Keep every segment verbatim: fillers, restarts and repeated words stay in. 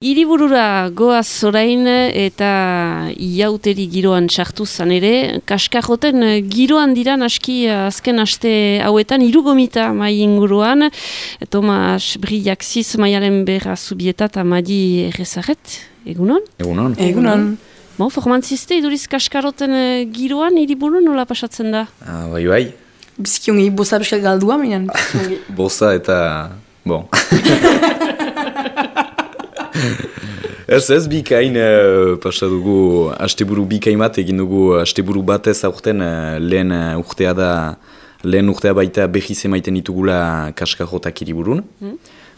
Hiriburura goaz orain eta iauteri giroan sartu zan ere, kaskarroten giroan dira naski azken aste hauetan irugomita mai inguruan, Tomas Brillaxiz maialen berra zubieta eta Madi Errezaret, egunon? Egunon. Egunon. Bon, formantziste iduriz kaskarroten giroan hiriburu nola pasatzen da? Ah, bai, bai. Bizkiongi boza beskel galdua, minan. Boza eta... bon. Ez ez bikain uh, pasa dugu asteburu bikain bat egin dugu asteburu batez aurten uh, lehen uh, urtea da lehen urtea baita behiz emaiten ditugula kaskarrotak hiriburun. Mm.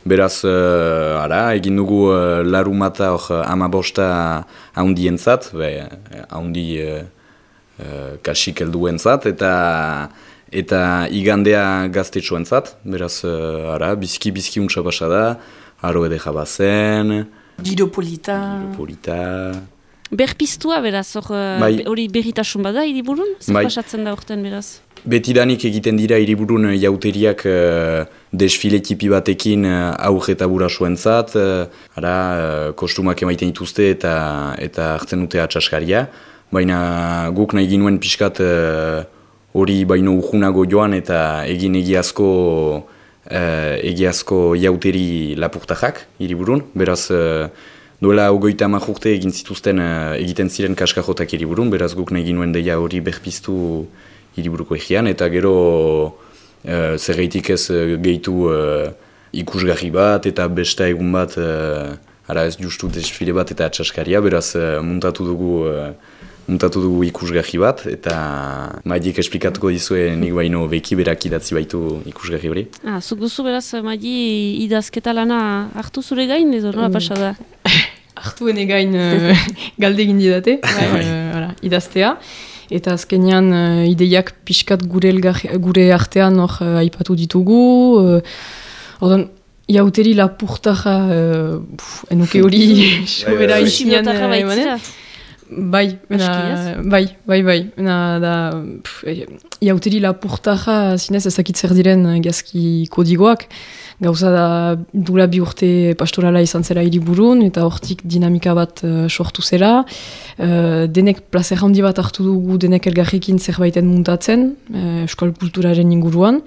Beraz, uh, ara, egin dugu uh, larumata hor amabosta haundientzat, haundi uh, uh, kasik helduentzat eta eta igandea gaztetxoentzat. Beraz, uh, ara, bizki-bizki untsa pasa da, aro ede jabazen, Giro polita. Giro polita. Berpiztua beraz, hori bai. Berritasun bada hiriburun? Zer bai. Pasatzen da urten beraz? Betidanik egiten dira hiriburun jauteriak uh, desfile tipi batekin uh, aurre eta burasuentzat, uh, ara, uh, kostumak emaiten dituzte eta eta hartzen dute atxaskaria. Baina guk nahi ginuen pixkat hori uh, baino urgunago joan eta egin egiazko Uh, egiazko jauteri lapurtajak hiriburun, beraz uh, duela hogeita hamar urte egin zituzten uh, egiten ziren kaskarrotak hiriburun, beraz guk nahi ginuen deia hori berpiztu hiriburuko egian, eta gero uh, zerreitik ez uh, gehitu uh, ikusgarri bat eta besta egun bat, uh, ara ez justu desfile bat eta atxaskaria, beraz uh, muntatu dugu uh, Muntatu dugu ikusgarri bat, eta Maidik esplikatuko dizue nik baino beki berak idatzi baitu ikusgarri hori. Ah, zuk duzu beraz, Maidi idazketa lana hartu zure gain, edo nola pasa da? Hartu ene gain uh, galde egin didate, uh, idaztea. Eta azkenean uh, ideiak pixkat gure, elgar, gure artean hor uh, aipatu ditugu. Uh, Ordan, iauteri lapurtaja, uh, enuke hori sobera isinean emanen. Bai, ena, bai, bai, bai, ena da, iauteri lapurtaja zinez ezakit zer diren gazki kodigoak, gauza da dula bi urte pastorala izan zela hiriburun, eta hortik dinamika bat uh, sortu zela, uh, denek plazer handi bat hartu dugu, denek elgarrekin zerbaiten muntatzen, uh, euskal kulturaren inguruan,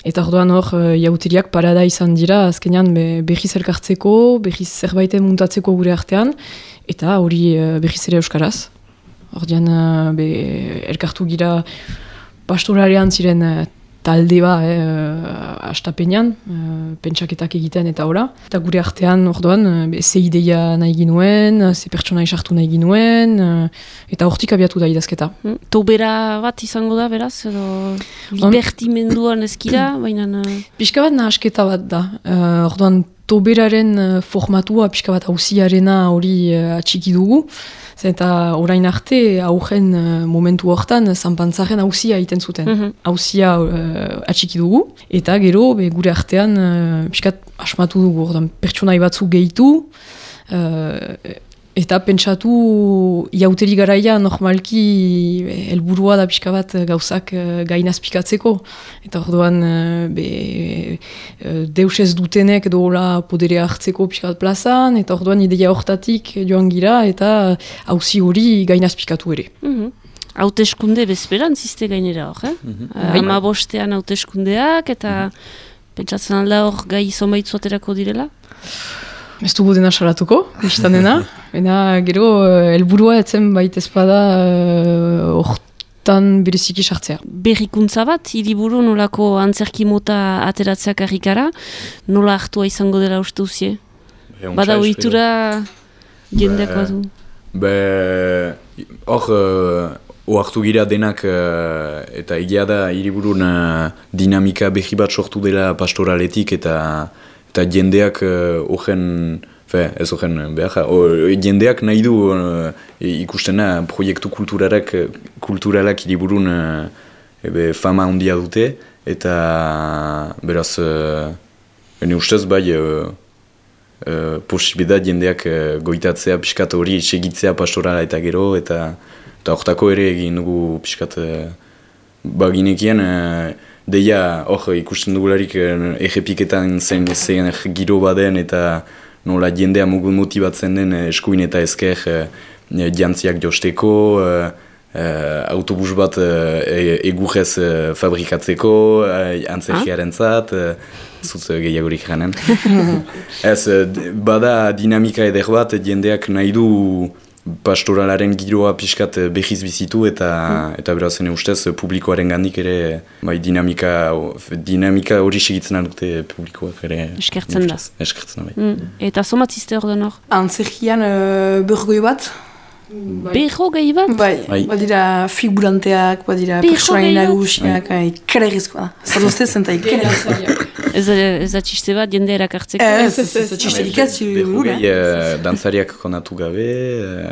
eta orduan hor, uh, iauteriak parada izan dira, azkenean be, berriz elkartzeko, berriz zerbaiten muntatzeko gure artean, eta hori uh, berriz ere euskaraz. Ordean, uh, be, elkartu gira pastoralean ziren uh, talde ba, eh, uh, astapenean, uh, pentsaketak egiten eta ora. Eta gure artean, orduan, uh, ze ideia nahi ginuen, ze pertsona isartu nahi ginuen, uh, eta hortik abiatu da idazketa. Hmm. Tobera bat izango da, beraz, edo libertimenduan ezkira, baina... Uh... Pixka bat nahasketa bat da. Uh, orduan, toberaren uh, formatua, pixka bat hausiarena hori uh, atxiki dugu. Eta orain arte, aurren uh, momentu hortan, zanpantzaren hausia egiten zuten. Mm-hmm. Hausia uh, atxiki dugu. Eta gero, be, gure artean, uh, pixkat asmatu dugu. Ordan, pertsonai batzu gehitu. Uh, eta pentsatu iauteri garaia normalki helburua da pixka bat gauzak uh, gainazpikatzeko. Eta orduan uh, be, uh, deus ez dutenek dola poderea hartzeko pixka bat plazan, eta orduan ideia hortatik joan gira, eta hauzi hori gainazpikatu ere. Mm-hmm. Hauteskunde bezperan ziste gainera hor, eh? Mm-hmm. uh, Ama bostean hauteskundeak, eta mm-hmm. pentsatzen alda hor gai zonbaitzu aterako direla? Ez dugu dena salatuko, biztan dena. Ena, gero, helburua etzen baita ezpada hortan uh, bereziki sartzea. Berrikuntza bat, hiriburu nolako antzerki mota ateratzeak harrikara, nola hartua izango dela uste duzie? Bada ohitura jendeak badu? Be, hor, uh, hartu gira denak, uh, eta egia da hiriburun uh, dinamika behi bat sortu dela pastoraletik, eta eta jendeak horren, uh, ez horren behar, jendeak nahi du uh, ikustena proiektu kulturalak, kulturalak hiriburun uh, ebe, fama handia dute, eta beraz, uh, ene ustez bai, uh, uh, posibeda jendeak uh, goitatzea, pixkat hori segitzea pastorala eta gero, eta hortako ere egin dugu pixkat uh, baginekien, uh, deia, hor, ikusten dugularik errepiketan zen zen giro baden eta nola jendea mugu motibatzen den eskuin eta ezker uh, jantziak josteko, uh, uh, autobus bat uh, egurrez uh, fabrikatzeko, uh, antzerkiaren zat, uh, zutz gehiagorik janen. Ez, bada dinamika eder bat, jendeak nahi du pastoralaren giroa pixkat behiz bizitu eta mm. eta berazen ustez publikoaren gandik ere bai, dinamika, dinamika hori segitzen dute publikoak ere. Eskertzen da. Eskertzen da, bai. Mm. Eta somatzizte hor den hor? Antzerkian uh, bergoi bat. Berro gehi bat? Bai, bai. Badira figuranteak, badira personai nagusiak, ikeregizkoa da. Zalozte zen eta ikeregizkoa. Ez da txiste bat, jende erakartzeko? Ez, ez, ez, txisterik ez. Berro gehi dantzariak konatu gabe.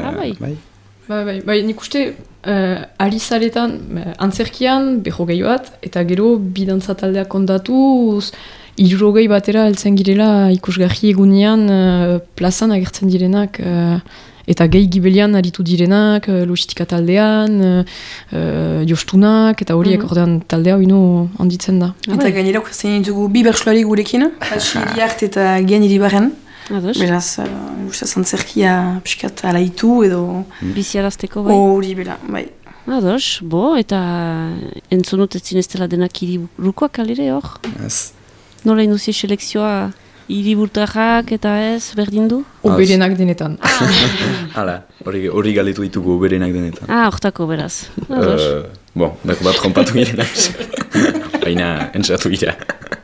Ah, bai. Bai, bai, bai, nik uste ari zaretan, antzerkian, berro gehi bat, eta gero bi dantza taldeak kondatuz, hirurogei batera heltzen girela ikusgarri egunean plazan agertzen direnak, eta gehi gibelian aritu direnak, logistika taldean, uh, jostunak, eta horiek mm-hmm. ordean taldea oinu handitzen da. Eta gainera ukatzen ditugu bi bertsolari gurekin, Xiriart eta Gian Iribarren. Beraz, uh, ustez antzerkia piskat alaitu edo... Biziarazteko bai? Hori bera, bai. Ados, bo, eta entzonut ez zineztela denak hiriburukoak alire hor? Ez. Nola induzi selekzioa? Hiriburtarrak eta ez, berdin du? Oberenak denetan. Hala, hori galetu ditugu oberenak denetan. Ah, hortako beraz. Ados. Uh, bon, bat trompatu girenak. Baina, entzatu gira.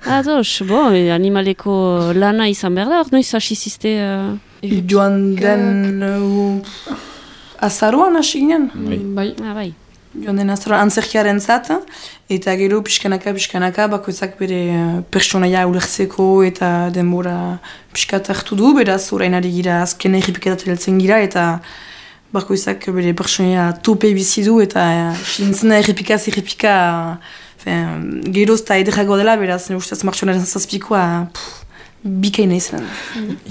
Ados, bo, animaleko lana izan behar da, hor noiz hasi zizte... Uh... Joan den... Uh, azaroan hasi ginen? Bai. Ah, bai. Joan den azaroan antzerkiaren zat, eta gero pixkanaka, pixkanaka, bakoitzak bere pertsonaia ulertzeko eta denbora pixkat hartu du, beraz orain ari gira azken errepiketat heltzen gira, eta bakoitzak bere pertsonaia tope bizi du, eta sintzena errepikaz errepika geroz eta ederago dela, beraz ustez martxonaren zazpikoa bikaina izan.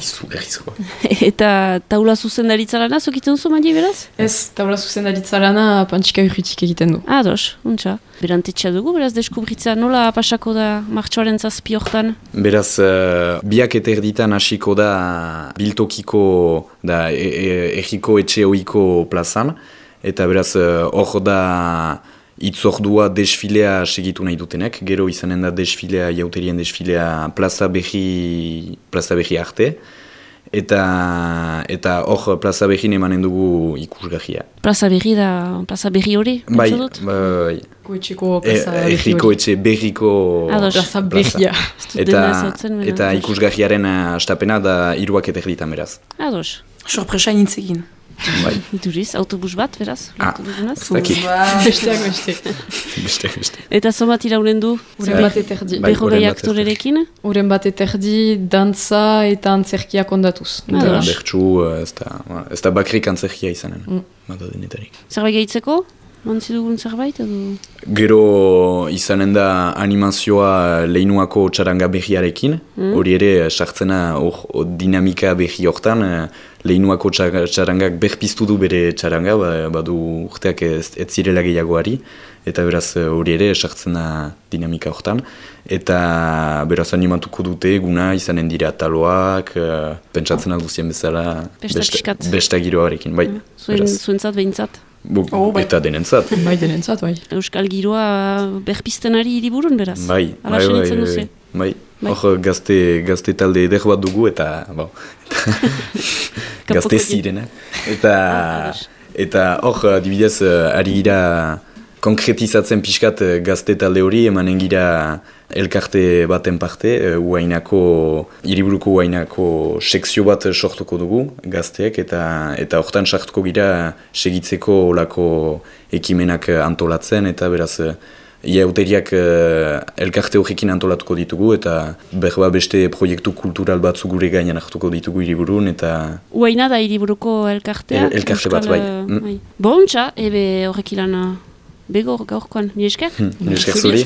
Izu berrizkoa. Eta taula zuzendaritza lana, zokiten duzu mandi beraz? Ez, taula zuzendaritza lana pantxika urritik egiten du. Ados, untxa. Berantetxea dugu, beraz deskubritza nola pasako da martxoaren zazpi hortan? Beraz, uh, biak eta erditan hasiko da biltokiko, da erriko etxe oiko plazan, eta beraz hor uh, da itzordua desfilea segitu nahi dutenek, gero izanen da desfilea, jauterien desfilea plaza behi, plaza behi arte, eta eta hor plaza behin emanen dugu ikusgarria. Plaza behi da, plaza behi hori? Bai, bai. Koetxeko plaza behi hori. Erriko etxe berriko plaza behia. Eta, eta ikusgarriaren astapena da hiruak eta erditan beraz. Ados. Sorpresa nintzekin. Bai. Ituriz, autobus bat, beraz? Ah, autobus bat. Besteak beste. Beste, beste. Eta somat iraunen du? Uren bat eterdi. Beho gai aktorerekin? Uren bat eterdi, dantza eta antzerkia kondatuz. Eta bertsu, ez da bakrik antzerkia izanen. Mm. Mata denetarik. Zerbait gehitzeko? Mantzi dugun zerbait edo? Gero izanen da animazioa leinuako txaranga behiarekin, hori mm. ere sartzena or, or, dinamika behi hortan, leinuako txarangak berpiztu du bere txaranga, badu urteak ez, ez zirela gehiagoari, eta beraz hori ere sartzena dinamika hortan, eta beraz animatuko dute eguna izanen dira taloak, pentsatzen alduzien bezala, besta giroarekin, bai. Mm. Zuen, zuentzat behintzat? Oh, bai. Eta denentzat. Bai, denentzat, bai. Euskal giroa berpizten ari hiriburun, beraz? Bai, bai, bai, bai, bai. Hor gazte, gazte talde eder bat dugu, eta, bon, eta gazte zirena. Eta, eta hor, adibidez, ari gira konkretizatzen pixkat gazte talde hori, emanen gira elkarte baten parte, uainako, hiriburuko uainako sekzio bat sortuko dugu gazteek, eta eta hortan sartuko gira segitzeko olako ekimenak antolatzen, eta beraz iauteriak elkarte horrekin antolatuko ditugu, eta berba beste proiektu kultural batzu gure gainan hartuko ditugu hiriburun, eta... Uaina da hiriburuko elkartea? El, elkarte bat, bai. Uh, bai. Bontxa, ebe horrek ilan bego gaurkoan, mi esker? Mi esker zuri.